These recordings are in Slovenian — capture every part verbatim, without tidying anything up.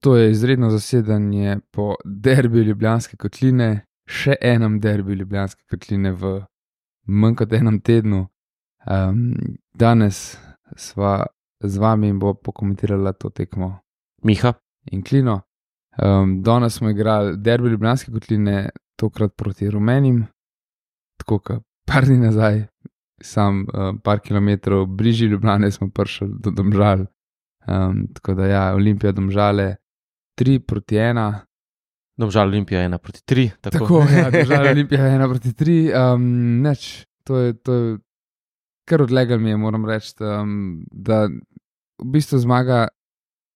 To je izredno zasedanje po derbiju Ljubljanske kotline, še enem derbiju Ljubljanske kotline v manj kot enem tednu. Um, danes sva z vami in bo pokomentirala to tekmo Miha in Klino. Um, danes smo igrali derbi Ljubljanske kotline, tokrat proti Rumenim, tako kot par dni nazaj, sam um, par kilometrov bližje Ljubljane smo prišli do Domžal. Um, tako da ja, Olimpija Domžale tri proti ena. Domžal Olimpija ena proti tri. Tako, tako ja, Domžal Olimpija ena proti tri. Um, neč, to je, to je kar odlegal mi je, moram reči, um, da v bistvu zmaga,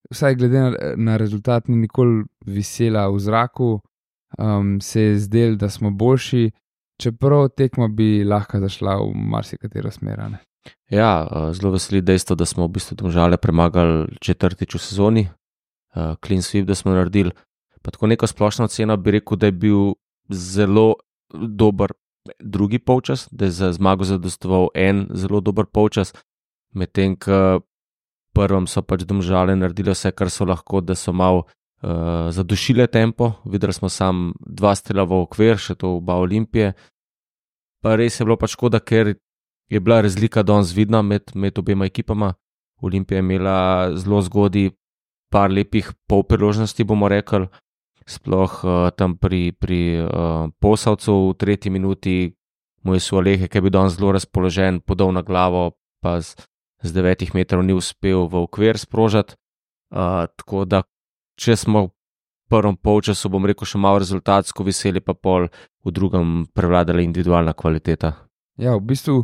vsaj glede na, na rezultat, ni nikoli visela v zraku, um, se je zdel, da smo boljši, čeprav tekma bi lahko zašla v marsikatero smer. Ja, zelo veseli dejstvo, da smo v bistvu Domžale premagali četrtič v sezoni, uh, clean sweep, da smo naredili. Pa tako neko splošno oceno bi rekel, da je bil zelo dober drugi polčas, da je za zmago zadostoval en zelo dober polčas, medtem ko prvem so pač Domžale naredili vse, kar so lahko, da so malo uh, zadušile tempo. Videli smo sam dva strela v okvir, še to oba Olimpije. Pa res je bilo pač škoda, ker je bila razlika danes vidna med, med obema ekipama. Olimpija je imela zelo zgodaj par lepih polpriložnosti, bomo rekli, sploh uh, tam pri, pri uh, Posavcu v tretji minuti mu je Sualehe, ki je bil danes zelo razpoložen, podal na glavo, pa z, z devetih metrov ni uspel v okvir sprožati. Uh, tako da, če smo v prvem polčasu, bom rekel, še malo rezultatsko veseli, pa pol v drugem prevladala individualna kvaliteta. Ja, v bistvu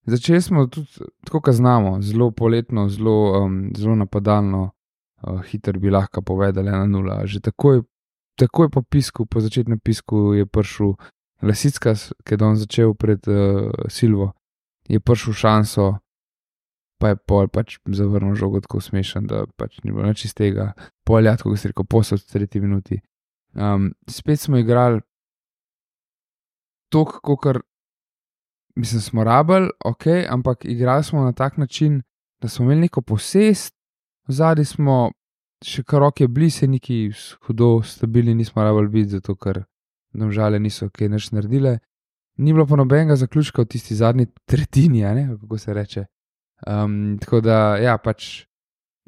začeli smo tudi tako, kot znamo, zelo poletno, zelo, um, zelo napadalno, uh, hiter bi lahko povedali ena nula. Že takoj, takoj po pisku, po začetnem pisku je prišel Lasickas, ki je danes začel pred uh, Silvo, je prišel šanso, pa je pol pač zavrnil žogo tako smešen, da pač ni bilo nič iz tega. Pol je, kot se rekel, Posavc v tretji minuti. Um, spet smo igrali tok, kokar mislim, smo rabili, ok, ampak igrali smo na tak način, da smo imeli neko posest, vzadi smo še kar roke bili, se neki hudo stabilni nismo rabili biti, zato ker Domžale niso kaj nič naredile. Ni bilo pa nobenega zaključka v tisti zadnji tretjini, ne, kako se reče. Um, tako da, ja, pač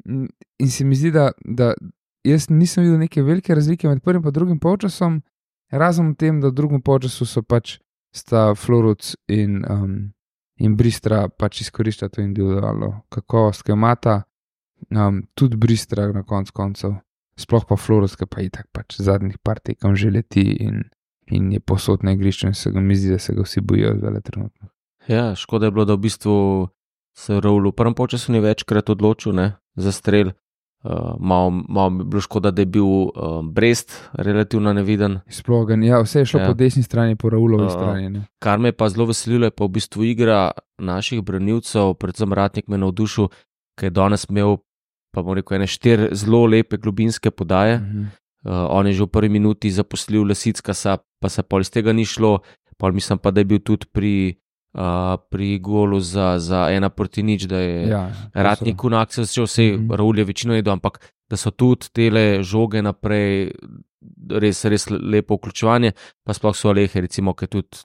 in se mi zdi, da, da jaz nisem videl neke velike razlike med prvim in drugim polčasom, razen v tem, da v drugem polčasu so pač sta Floruc in, um, in Bristra pač izkorišča to individualno kakovost, ki jo imata, um, tudi Bristra na konc koncev, sploh pa Floruc, ki pa itak pač zadnjih par tekem že leti in, in je posod na igrišču in se ga mi zdi, da se ga vsi bojijo zdaj trenutno. Ja, škoda je bilo, da v bistvu se Raul v prvem polčasu ni večkrat odločil, ne, za strel. Uh, malo, malo bi bilo škoda, da je bil uh, Brest relativno neviden. Sploh ga, ja, vse je šlo ja. po desni strani, po Raulovi uh, strani. Ne. Kar me pa zelo veselilo, je pa v bistvu igra naših branilcev, predvsem Ratnik me navdušil, ki je danes imel, pa bom rekel, ene štiri zelo lepe globinske podaje. Uh-huh. Uh, on je že v prvi minuti zaposlil Lasickasa, pa se pol iz tega ni šlo, pol mislim pa, da je bil tudi pri Uh, pri golu za, za ena proti nič, da je ja, Ratnik v akcijo začel, vse mm-hmm. Raul je večino jedel, ampak da so tudi tele žoge naprej res, res lepo vključevanje, pa sploh so Alehe, recimo, ki je tudi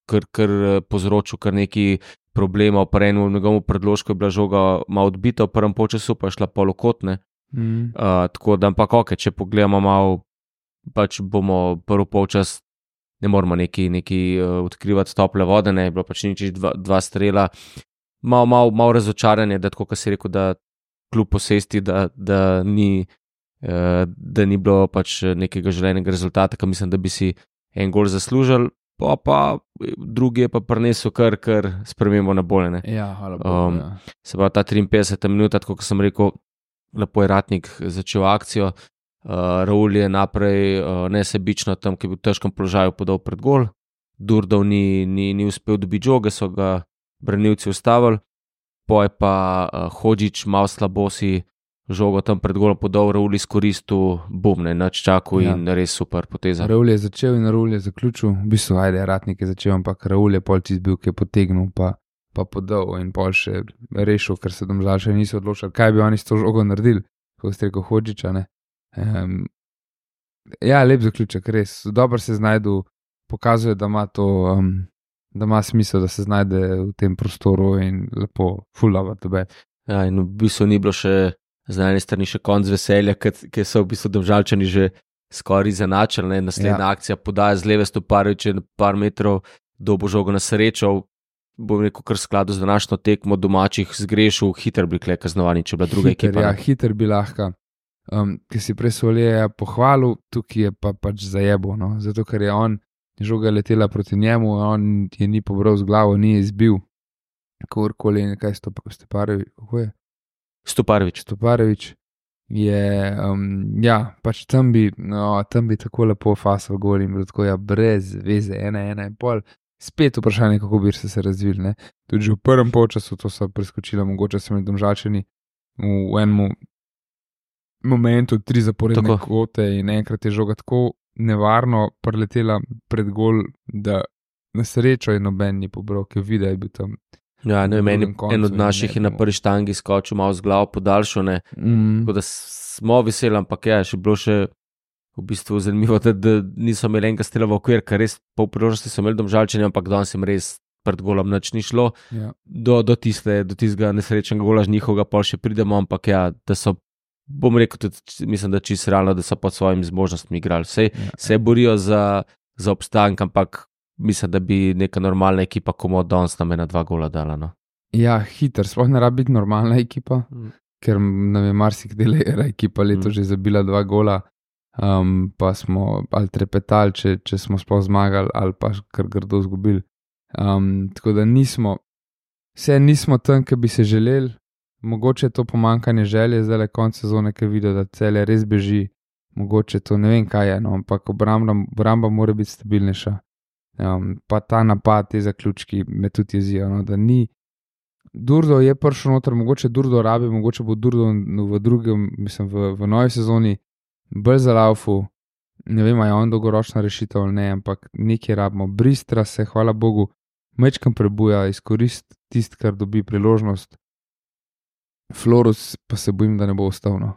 kar, kar povzročil kar neki problemov, pa eno v njegovom predložku je bila žoga malo odbita v prvem polčasu, pa je šla polokotne. Mm-hmm. Uh, tako da, ampak ok, če pogledamo malo, pač bomo prvi polčas ne moramo neki, neki uh, odkrivati tople vode, ne, je bilo pač nič dva, dva strela, malo mal, mal razočaranje, da tako, kot si rekel, da kljub posesti, da, da, ni, uh, da ni bilo pač nekega želenega rezultata, ki mislim, da bi si en gol zaslužili, pa pa drugi je pa prinesel kar, kar spremembo na bolje, ne. Ja, hvala Bogu, um, ja. Se pa ta triinpetdeseta minuta, tako kot sem rekel, lepo je Ratnik začel akcijo. Uh, Raul je naprej uh, nesebično tam, ki je bil v težkem položaju, podal pred gol. Durdov ni, ni, ni uspel dobiti žoge, so ga branilci ustavili. Po je pa uh, Hodžić malo slabosi žogo tam pred golom podal, Raul izkoristil, bum, ne, nač čakal ja. In res super poteza. Raul je začel in Raul je zaključil, v bistvu ajde, Ratnik je začel, ampak Raul je pol čisto bil, ki je potegnil pa, pa podal in pol še rešil, ker se Domžal še niso odločili, kaj bi oni s to žogo naredili, kako ste rekel Hodžića, ne. Um, ja, lep zaključek, res. Dobro se znajdu, pokazuje, da ima to, um, da ima smisel, da se znajde v tem prostoru in lepo, full love tebe. Ja, in v bistvu ni bilo še z ene strani še konc veselja, ker so v bistvu Domžalčani že skoraj izenačili. Naslednja ja. akcija podaja z leve Stoparevića par metrov, dobo žogo na srečo. Bom rekel, kar skladu z današnjo tekmo domačih zgrešil, hiter bi kle kaznovani, če bila druga hiter, ekipa. Ja, hiter bi lahko. Um, ki si prej Solje pohvalil, tukaj je pa pač zajebo, no? Zato ker je on, žoga letela proti njemu, on je ni pobral z glavo, ni izbil. Kakorkoli, nekaj Stoparević, kako je? Stoparević. Stoparević je, um, ja, pač tam bi, no, tam bi tako lepo fasal gol in bilo tako, ja, brez veze, ena, ena in pol. Spet vprašanje, kako bi se, se razvili. Ne? Tudi že v prvem polčasu to so preskočili, mogoče so imeli Domžalčani v enem momentu tri zaporedne tako. Kvote in enkrat je žoga tako nevarno preletela pred gol, da na srečo je noben ni pobral, ki je videl, je bil tam. Ja, ne, meni en od naših je na prvi štangi skočil malo z glavo podaljšane, mm. tako da smo veseli, ampak je še bilo še v bistvu zanimivo, da, da niso imeli enega strela v okvir, ker res po priložnosti so imeli Domžalčani, ampak danes jim res pred golom nič ni šlo. Ja. Do, do, tiste, do tistega nesrečnega gola z njihovega pol še pridemo, ampak ja, da so, bom rekel, tudi, mislim, da čisto realno, da so pod svojimi zmožnostmi igrali. Vse ja. se borijo za, za obstank, ampak mislim, da bi neka normalna ekipa komo danes nam ena dva gola dala. No. Ja, hiter, sploh ne rabi biti normalna ekipa, mm. ker nam je marsikdaj ekipa leto mm. že zabila dva gola. Um, pa smo ali trepetali, če, če smo sploh zmagali, ali pa kar grdo izgubili. Um, tako da nismo, vse nismo tam, ki bi se želeli, mogoče je to pomankanje želje, zdaj le konec sezone, ki vidijo, da Celje res beži, mogoče to ne vem, kaj je, no, ampak obramba, obramba mora biti stabilnejša. Um, pa ta napad, te zaključki me tudi jezijo, no, da ni. Durdo je prišel noter, mogoče Durdo rabi, mogoče bo Durdo v drugem, mislim, v, v novi sezoni bolj za laufu, ne vem, je on dolgoročna rešitev ali ne, ampak nekaj rabimo. Bristra se, hvala Bogu, mečkam prebuja, izkoristi tisto, kar dobi priložnost. Florus pa se bojim, da ne bo ostal. No.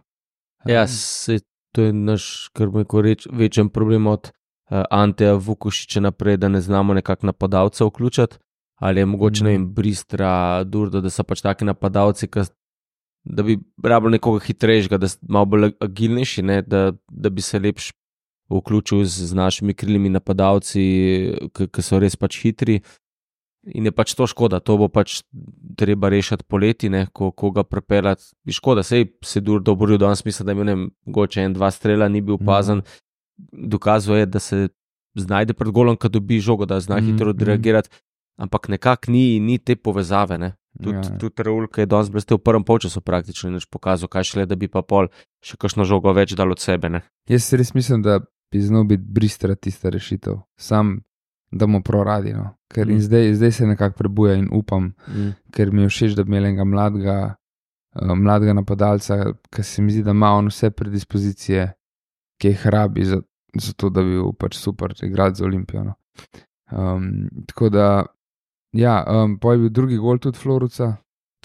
Ja, se, to je naš, kar bo neko reč, večen problem od uh, Anteja Vukušiča naprej, da ne znamo nekak napadalca vključati, ali je mogoče, mm. ne vem, Bristra, Durdo, da so pač taki napadalci, ki da bi rabili nekoga hitrejšega, da so malo bolj agilnejši, ne, da, da bi se lepš vključil z, z našimi krilnimi napadalci, ki so res pač hitri. In je pač to škoda, to bo pač treba rešiti poleti, ne, ko, ko ga prepeljati. Škoda, sej se Durdo boril, danes mislim, da je imel mogoče en, dva strela, ni bil opazen. Mm. Dokazuje, da se znajde pred golom, kad dobi žogo, da zna mm. hitro odreagirati, ampak nekako ni, ni te povezave, ne. Tudi ja. tud Raul, ki je danes blestel v prvem polčasu praktično in pokazal, kaj šele, da bi pa pol še kakšno žogo več dal od sebe. Ne? Jaz res mislim, da bi znal biti Bristra tista rešitev. Sam, da mu proradi. No? Ker mm. zdaj, zdaj se nekako prebuja in upam, mm. ker mi je všeč, da bi imel enega mladega, uh, mladega napadalca, ki se mi zdi, da ima on vse predispozicije, ki jih rabi za, za to, da bi bil pač super igrati za Olimpijo. No? Um, tako da ja, um, pa je bil drugi gol tudi Floruca.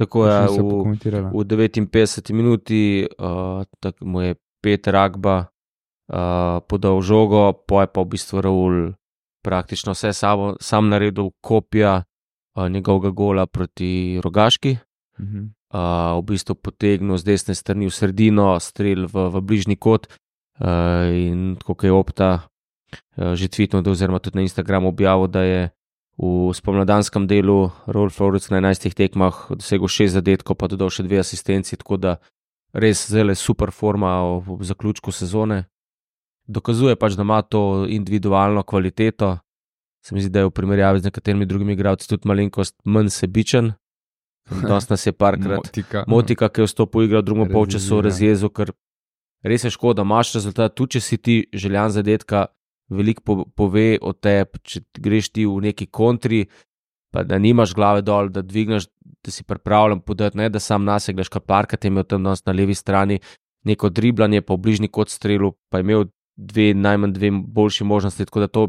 Tako je, v, v devetinpetdeseti minuti uh, tak, mu je Peter Agba uh, podal žogo, pa je pa v bistvu Raul praktično vse samo, sam naredil kopija uh, njegovega gola proti Rogaški. Uh-huh. Uh, v bistvu potegnil z desne strani v sredino, strel v, v bližnji kot uh, in tako je Opta uh, že tweetnil, oziroma tudi na Instagramu objavil, da je v spomladanskem delu Raul Floruc na enajstih tekmah dosegel šest zadetkov, pa dodal še dve asistenci, tako da res zelo super forma v, v zaključku sezone. Dokazuje pač, da ima to individualno kvaliteto. Se mi zdi, da je v primerjavi z nekaterimi drugimi igralci tudi malenkost manj sebičen. Danes nas je parkrat Motika, Motika ki je vstopil v igro v drugem polčasu, razjezel, ker res je škoda, imaš rezultat, tudi če si ti željan zadetka, veliko po, pove o tebi, če greš ti v neki kontri, pa da nimaš glave dol, da dvigneš, da si pripravljen podati, ne da sam nase gledaš, kar parkrat je imel tam danes na levi strani neko driblanje, pa v bližnji kot strelu, pa je imel dve, najmanj dve boljši možnosti, tako da to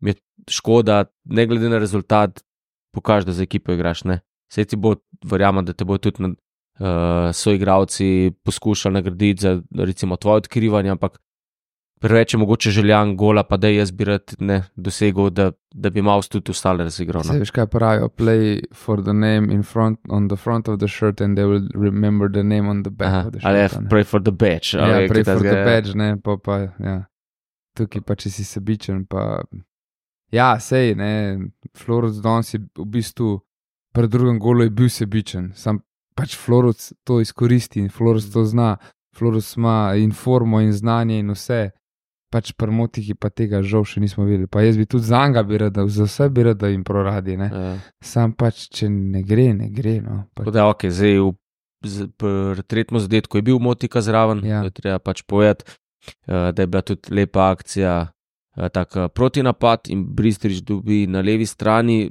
mi je škoda, ne glede na rezultat, pokaži, da za ekipo igraš, ne. Sej ti bo, verjamem, da te bo tudi uh, so igralci poskušali nagraditi za recimo tvoje odkrivanje, ampak preveč je mogoče željan gola, pa da jaz bi rad ne dosegel, da, da bi Maus tudi ostale razigral. Se veš kaj pravijo, play for the name in front, on the front of the shirt and they will remember the name on the back Aha, of the shirt. ali pray for the badge. Ja, ali, pray for tazga, the ja. badge, ne, pa pa, ja. Tukaj pa, če si sebičen, pa ja, sej, ne, Floruc danes je v bistvu pri drugem golu je bil sebičen, sam pač Floruc to izkoristi in Floruc to zna, Floruc ima informo in znanje in vse, pač pri Motiki pa tega žal še nismo videli, pa jaz bi tudi za njega bi rada, za vse bi rada jim proradi, ne, Ja. sam pač, če ne gre, ne gre, no. Pač, Tako da, ok, zdaj v, z, pri tretjem zadetku je bil Motika zraven, Ja. to je treba pač povedati, uh, da je bila tudi lepa akcija, uh, tak uh, protinapad in Bristrič dobi na levi strani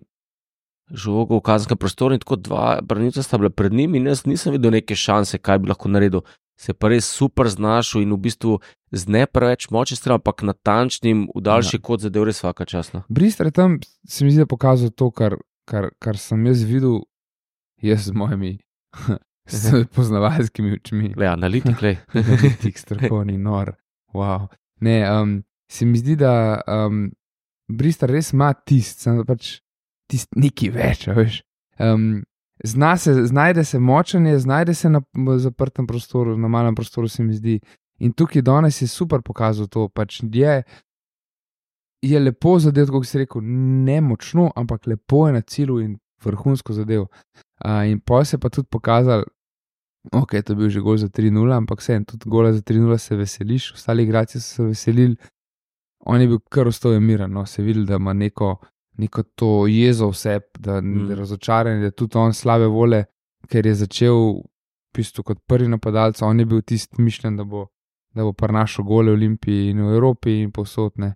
žogo v kazenskem prostoru in tako dva branilca sta bila pred njim in jaz nisem videl neke šanse, kaj bi lahko naredil. Se pa res super znašel in v bistvu z ne preveč močnim strelom, ampak natančnim v daljši Ja. kot zadev res vsaka časno. Bristre tam se mi zdi, da pokazal to, kar, kar, kar sem jaz videl, jaz z mojimi s poznavalskimi očmi. Le, analitik, le. Analitik, strokovni, nor. Wow. Ne, um, se mi zdi, da um, Bristre res ima tist, samo pač tist neki več, a veš. Um, zna se, znajde se močanje, znajde se na zaprtem prostoru, na malem prostoru se mi zdi. In tukaj danes je super pokazal to, pač je, je lepo zadev, kot si rekel, ne močno, ampak lepo je na cilju in vrhunsko zadev. Uh, in pa se pa tudi pokazal, ok, to je bil že gol za tri nula, ampak vseeno, tudi gola za tri nula se veseliš, ostali igralci so se veselili, on je bil kar ostal miren, no, se videl, da ima neko, neko to jezo vse, da Mm. je razočaran, da je tudi on slabe vole, ker je začel v bistvu kot prvi napadalec, on je bil tisti mišljen, da bo, da bo prinašal gole v Olimpiji in v Evropi in povsod, ne.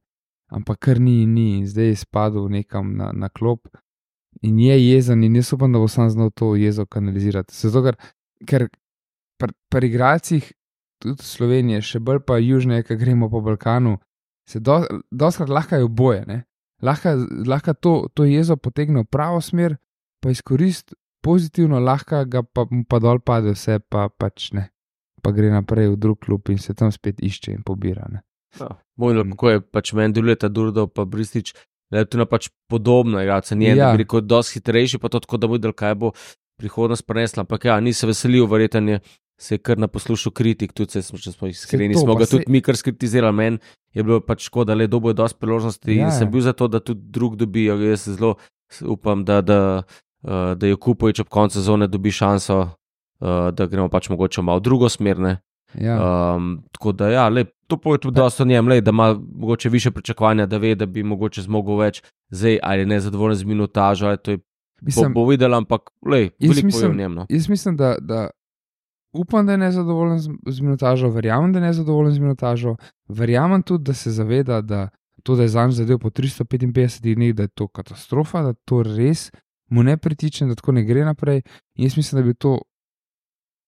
Ampak kar ni in ni, in zdaj je spadal nekam na, na klop in je jezen in jaz upam, da bo sam znal to jezo kanalizirati. Zato, ker, ker pri, pri igralcih tudi Slovenije, še bolj pa južneje, ki gremo po Balkanu, se do, doskrat lahko je oboje, ne. Lahko, lahko to, to jezo potegne v pravo smer, pa izkorist pozitivno, lahko ga pa, pa dol pade vse, pa pač ne. Pa gre naprej v drug klub in se tam spet išče in pobira, ne. Ja, Mojno, kako je pač meni delujeta Durdo pa Bristič, da je to na pač podobno, igralca njen, Ja. da bi rekel, dosti hitrejši, pa to tako, da bo videl, kaj bo prihodnost prenesla, ampak ja, ni se veselil, verjetno je se je kar na poslušu kritik, tudi se smo, če smo iskreni, to, smo pa ga se- tudi mi kar skritizirali, meni je bilo pač škoda, le dobo je dosti priložnosti Ja, in sem ja. bil za to, da tudi drug dobi, jaz se zelo upam, da, da, uh, da je Kupovič ob koncu sezone dobi šanso, uh, da gremo pač mogoče malo v drugo smer, ne. Ja. Um, tako da, ja, lej, to pove tudi dosto o njem, lej, da ima mogoče više pričakovanja, da ve, da bi mogoče zmogel več, zdaj ali je nezadovoljen z minutažo, ali to je Mislim, bo, bo videl, ampak lej, Jaz veliko pove mislim- o njem. No. Jaz mislim, da, da upam, da je nezadovoljen z, z minutažo, verjamem, da je nezadovoljen z minutažo, verjamem tudi, da se zaveda, da to, da je zanj zadev po tristo petinpetdesetih dneh, da je to katastrofa, da to res mu ne pritiče, da tako ne gre naprej. In jaz mislim, da bi to,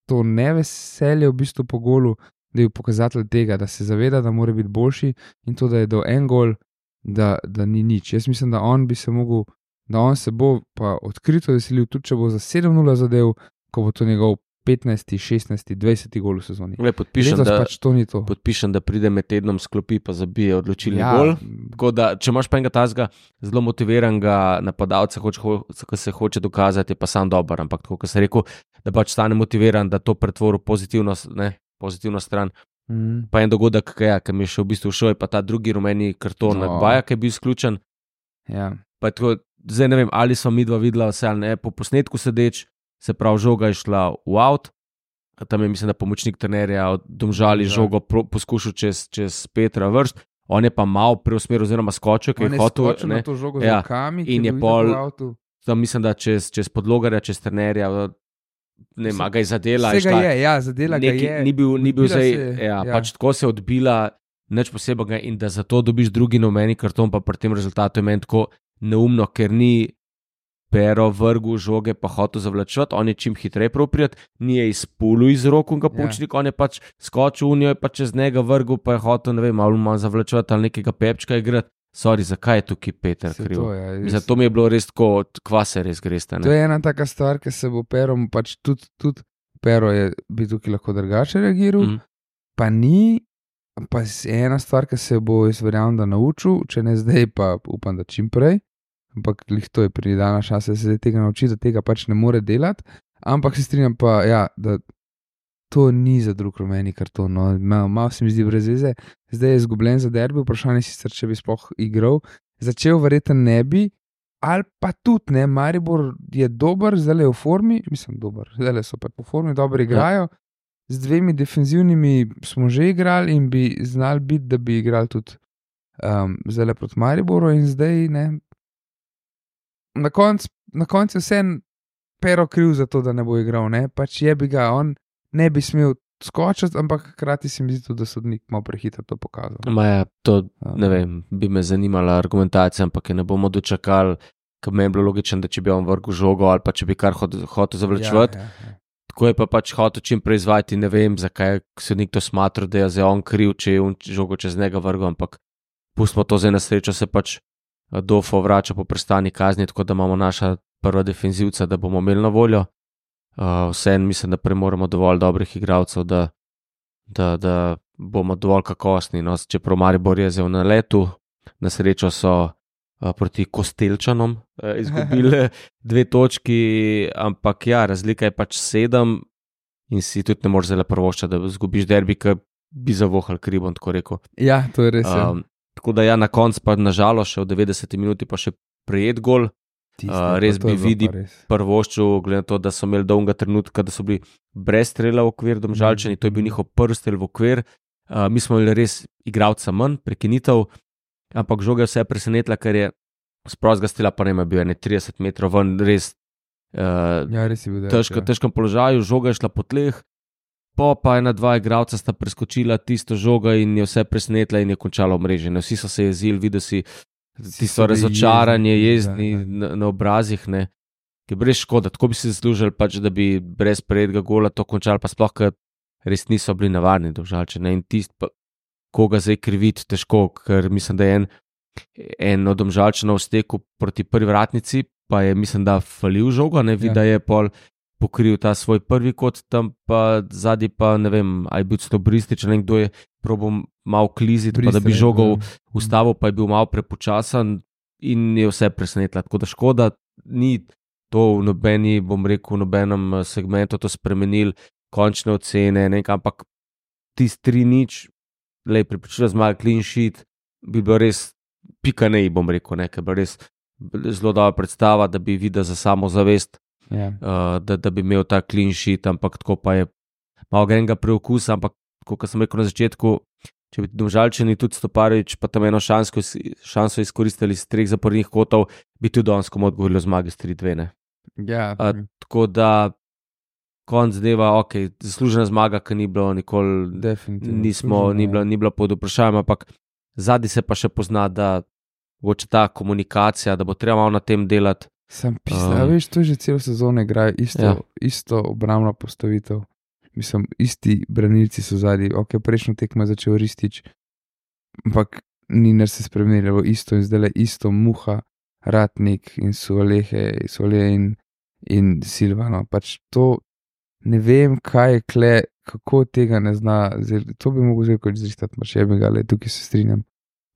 to neveselje v bistvu po golu, da je pokazatelj tega, da se zaveda, da mora biti boljši in to, da je do en gol, da, da ni nič. Jaz mislim, da on bi se mogel, da on se bo pa odkrito veselil, tudi če bo za sedem nula zadev, ko bo to njegov petnajsti, šestnajsti, dvajseti gol v sezoni. Lej, podpišem, Letos da, pač to ni to. podpišem, da pride med tednom sklopi, pa zabije odločilni Ja, gol. Tako da, če imaš pa enega tazga zelo motiviranega napadalca, hoč, ho, ki se hoče dokazati, je pa sam dober, ampak tako, kot sem rekel, da pač stane motiviran, da to pretvori v pozitivno, ne, pozitivno stran. mm, Pa en dogodek, ki je, ki mi je še v bistvu šel, je pa ta drugi rumeni karton No. no. Baja, ki je bil izključen. ja. Pa je tako, zdaj ne vem, ali smo mi dva videla vse ali ne, po posnetku sedeč, se pravi, žoga je šla v out, tam je, mislim, da pomočnik trenerja od Domžali Ja. žogo pro, poskušal čez, čez Petra vrst, on je pa malo preusmeril oziroma skočil, ker On je je hotel, skočil na to žogo Ja. z rokami, ki In je bil pol- itak v avtu. tam mislim, da čez, čez podlogarja, čez trenerja, ne, Se- ma ga je zadela. Vsega šla- je, ja, zadela ga neki, je. ni bil, ni bil odbila zdaj, se je, ja, ja. pač tako se je odbila, nič posebnega in da zato dobiš drugi nomeni karton, pa pri tem rezultatu je meni tako neumno, ker ni pero vrgu žoge pa hotel zavlačevati, on je čim hitreje proprijat, ni je izpulil iz rok in ga pučnik, ja. On je pač skočil v njo, je pa čez njega vrgu, pa je hotel, ne vem, malo manj zavlačevati ali nekega pepčka igrati. Sorry, zakaj je tukaj Peter Se kriv? to, ja, res. Zato mi je bilo res tako, kva se res greste. To je ena taka stvar, ki se bo perom pač tudi, tudi Pero je bi tukaj lahko drugače reagiral, Mm. pa ni, pa je ena stvar, ki se bo jaz verjamem, da naučil, če ne zdaj, pa upam, da čim prej, ampak lih to je pridana šansa, da se zdaj tega nauči, da tega pač ne more delati, ampak se strinjam pa, ja, da to ni za drug rumeni karton, no, malo, malo se mi zdi brez veze, zdaj je izgubljen za derbi, vprašanje sicer, če bi sploh igral, začel verjetno ne bi, ali pa tudi ne, Maribor je dober, zdaj je v formi, mislim dober, zdaj so pa po formi, dobro igrajo, z dvemi defenzivnimi smo že igrali in bi znali biti, da bi igrali tudi um, zdaj proti Mariboru in zdaj ne. Na koncu na konc je vse Pero kriv za to, da ne bo igral, ne, pač je bi ga, on ne bi smel skočiti, ampak hkrati se mi zdi tudi, da sodnik malo prehitro to pokazal. Ma ja, to, ne vem, bi me zanimala argumentacija, ampak je ne bomo dočakali, ker meni je bilo logično, da če bi on vrgel žogo ali pa če bi kar hotel hot zavlačevati. Ja, ja, ja. Tako je pa pač hotel čim prej izvajati, ne vem, zakaj sodnik to smatra, da je zdaj on kriv, če je on žogo čez njega vrgel, ampak pustimo to zdaj na srečo, se pač Dofo vrača po prestani kazni, tako da imamo naša prva defenzivca, da bomo imeli na voljo. Uh, Vseeno mislim, da premoramo dovolj dobrih igralcev, da, da, da bomo dovolj kakovostni. No, čeprav Maribor je zdaj na letu, na srečo so uh, proti Kostelčanom uh, izgubili dve točki, ampak ja, razlika je pač sedem in si tudi ne moreš zelo prvoščati, da izgubiš derbi, ki bi zavohal kribom, tako rekel. Ja, to je res. Um, tako da ja, na koncu pa nažalost še v devetdeseti minuti pa še prijet gol. Tiste, uh, res bi vidi prvoščil, glede na to, da so imeli dolga trenutka, da so bili brez strela v okvir Domžalčani, to je bil njihov prvi strel v okvir. Uh, mi smo imeli res igralca manj, prekinitev, ampak žoga je vse presenetila, ker je z prostega strela pa ne ima bil trideset metrov ven, res, uh, ja, res je bil težko, ja. težkem položaju, žoga je šla po tleh, po pa ena dva igralca sta preskočila tisto žoga in je vse presenetila in je končala omreženje. Vsi so se jezili, videl si tisto razočaranje, jezni da, da. Na, na obrazih, ne, ki je brez škoda, tako bi si zaslužili pač, da bi brez prejetega gola to končali, pa sploh, ker res niso bili navadni Domžalčani in tist, pa, koga zdaj kriviti, težko, ker mislim, da je en, en od Domžalčanov stekel proti prvi vratnici, pa je mislim, da falil žoga, ne vidi, ja. Da je pol pokril ta svoj prvi kot, tam pa zadnji pa ne vem, aj bil to Bristič, ali kdo je probal malo kliziti, pa da bi žogal ustavil, pa je bil malo prepočasen in je vse presenetila. Tako da škoda, ni to v nobeni, bom rekel, v nobenem segmentu to spremenil, končne ocene, nekaj, ampak tisti tri nič, lej, pripričila zmaga clean sheet, bi bilo res pika nej, bom rekel, nekaj, bi res zelo dobra predstava, da bi videl za samozavest, yeah. uh, da, da bi imel ta clean sheet, ampak tako pa je malo grenga preokusa, ampak kot sem rekel na začetku, če bi Domžalčani tudi Stoparevič pa tam eno šansko, šanso izkoristili iz treh zapornih kotov, bi tudi danes komu odgovorilo zmage s tri dve. Yeah. Uh, tako da konc dneva, ok, zaslužena zmaga, ki ni bilo nikoli, nismo, ni bilo, ni bilo pod vprašanjem, ampak zadnji se pa še pozna, da mogoče ta komunikacija, da bo treba malo na tem delati. Sem pisal, um, veš, to že celo sezono igrajo isto, ja. isto obrambno postavitev. Mislim, isti branilci so zadnji, ok, prejšnjo tekmo je začel Ristič, ampak ni nar se spremenilo, isto in zdaj le isto Muha, Ratnik in Solehe, Solehe in, in Silvano. Pač to ne vem, kaj je kle, kako tega ne zna, to bi mogel zdaj kot zrištati, pa še bi ga, le tukaj se strinjam.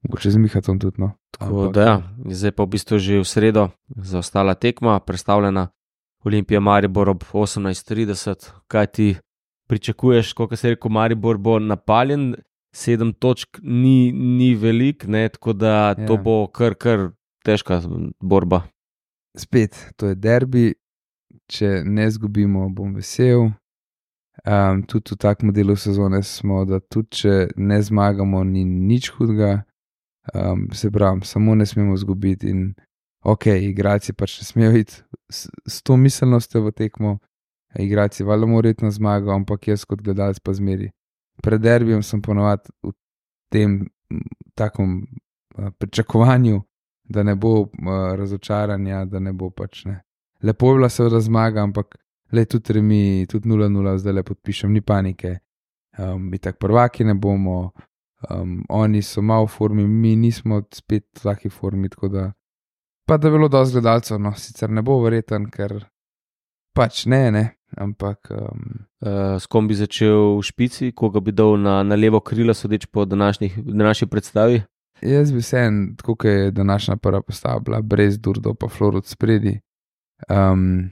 Mogoče z Mihatom tudi, no. Tako da ja, zdaj pa v bistvu že v sredo zaostala tekma, predstavljena Olimpija Maribor ob osemnajst trideset. Kaj ti pričakuješ, koliko se je rekel, Maribor bo napaljen, sedem točk ni, ni velik, ne, tako da ja. To bo kar, kar težka borba. Spet, to je derbi, če ne zgubimo, bom vesel. Um, tudi v takem delu sezone smo, da tudi če ne zmagamo, ni nič hudega. Um, se pravi, samo ne smemo zgubiti in ok, igralci pač ne smejo iti s, s to miselnostjo v tekmo, igralci valjda morajo iti na zmago, ampak jaz kot gledalec pa zmeri. Pred derbijem sem ponovadi v tem takom uh, pričakovanju, da ne bo uh, razočaranja, da ne bo pač ne. Lepo je bila seveda zmaga, ampak le tudi remi, tudi nula nula, zdaj le podpišem, ni panike. Um, in tak prvaki ne bomo. Um, oni so malo v formi, mi nismo spet v taki formi, tako da pa da bilo dosti gledalcev, no, sicer ne bo verjeten, ker Pač ne, ne, ampak. Um, uh, s kom bi začel v špici, koga bi dal na, na levo krilo, sodeč po današnji predstavi? Jaz bi se en, tako kot je današnja prva postava bila, brez Durdo pa Florod spredi. Um,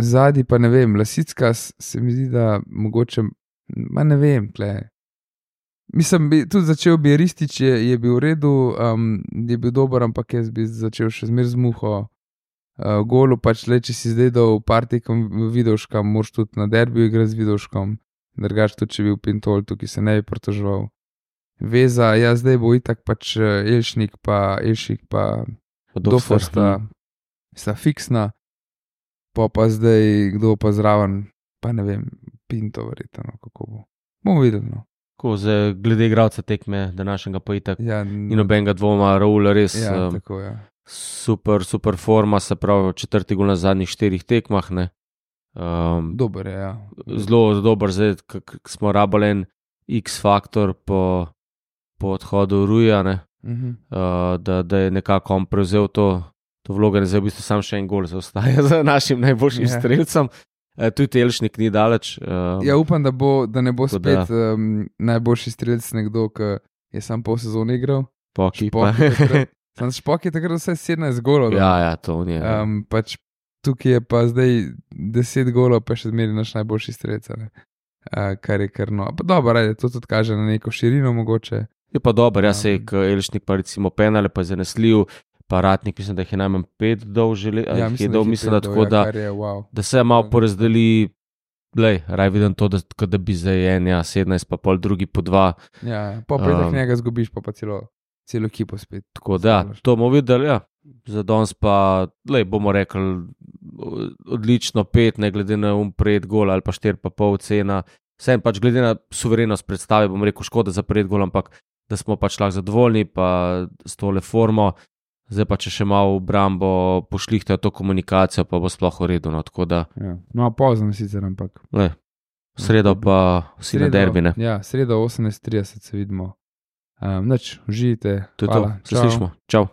Zadnji pa ne vem, Lasicka se mi zdi, da mogoče, ma ne vem, kle. Mislim, bi, tudi začel bi Ristič, je, je bil v redu, um, je bil dober, ampak jaz bi začel še zmer z muho. Uh, golu pač le, če si zdaj dal partikom Vidovška, moraš tudi na derbiju igrati z Vidovškom, drugač tudi, če bi bil Pintol, tukaj se ne bi pritoževal. Veza, ja, zdaj bo itak pač Elšnik pa Elšik pa Dofer sta, sta fiksna, pa pa zdaj kdo pa zraven, pa ne vem, Pinto verjetno, kako bo. Bomo videli, no. Ko zdaj glede igralca tekme, današnjega pa itak, ja, in nobenega dvoma, Raul res ja, um, tako, ja. super, super forma, se pravi četrti gol na zadnjih štirih tekmah, ne. Um, dober je, ja. Zelo dober, zdaj smo rabili en X-faktor po po odhodu Ruja, ne, uh-huh. uh, da, da je nekako on prevzel to, to vlogo, zdaj v bistvu sam še en gol zaostaja za našim najboljšim yeah. strelcem. Uh, tudi Elšnik ni daleč. Um, ja, upam, da, bo, da ne bo spet da. Um, najboljši strelec nekdo, ki je sam pol sezone igral. Špoki pa. Sam Špok je takrat vse sedemnajst golov. Ja, ja, to ni. Um, pač tukaj je pa zdaj deset golov, pa še zmeri naš najboljši strelec. Uh, kar je kar no. Pa dobro, ajde, to tudi kaže na neko širino mogoče. Je pa dober, jaz se je Elšnik pa recimo penale, pa je zanesljiv, pa Ratnik, mislim, da jih je najmanj pet dol žele, ja, mislim, dol, mislim, da tako, da, je, wow. da se je malo porazdeli, glej, raj vidim to, da, da bi zdaj en, ja, sedemnajst, pa pol drugi po dva. Ja, pa pa um, njega zgubiš, pa pa celo, celo ekipo spet. Tako da, to bomo videli, ja, za danes pa, glej, bomo rekli, odlično pet, ne glede na um pred gol ali pa štir pa pol cena, vsem pač glede na suverenost predstave, bom rekel, škoda za pred gol, ampak da smo pač lahko zadovoljni, pa s tole formo, zdaj pa če še malo v brambo pošlihtajo to komunikacijo, pa bo sploh v redu, no, tako da. Ja. No, pozno sicer, ampak. Le, v sredo pa vsi na derbi, ne. Ja, sredo osemnajst trideset se vidimo. Um, nič, užijte. To je to, se slišimo, čau.